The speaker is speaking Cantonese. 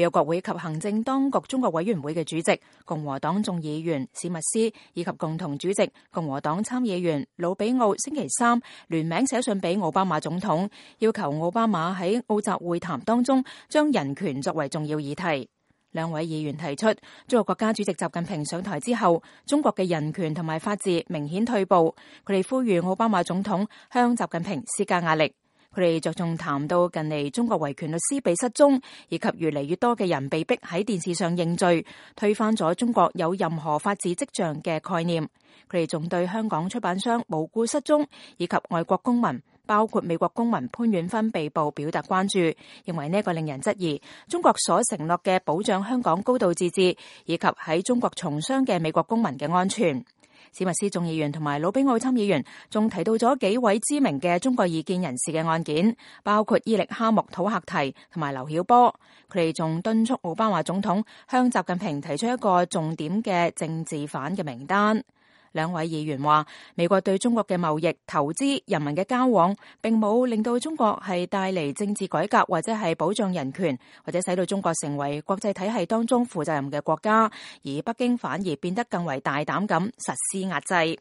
美國國會及行政當局中國委員會嘅主席、共和黨眾議員史密斯以及共同主席共和黨參議員魯比奧星期三聯名寫信俾奧巴馬總統，要求奧巴馬喺澳習會談當中將人權作為重要議題。兩位議員提出，中國國家主席習近平上台之後，中國嘅人權同埋法治明顯退步。佢哋呼籲奧巴馬總統向習近平施加壓力。佢哋着重談到近嚟中國維權律師被失蹤，以及越嚟越多嘅人被逼喺電視上認罪，推翻咗中國有任何法治跡象嘅概念。佢哋仲對香港出版商無故失蹤，以及外國公民，包括美國公民潘遠芬被捕表達關注，認為呢個令人質疑中國所承諾嘅保障香港高度自治，以及喺中國從商嘅美國公民嘅安全。史密斯眾議員同埋魯比奧參議員仲提到咗幾位知名嘅中國異見人士嘅案件，包括伊力哈木土赫提同埋劉曉波。佢哋仲敦促奧巴馬總統向習近平提出一個重點嘅政治犯嘅名單。兩位議員話，美國對中國嘅貿易、投資、人民嘅交往，並冇令到中國係帶嚟政治改革，或者係保障人權，或者使到中國成為國際體系當中負責任嘅國家，而北京反而變得更為大膽咁實施壓制。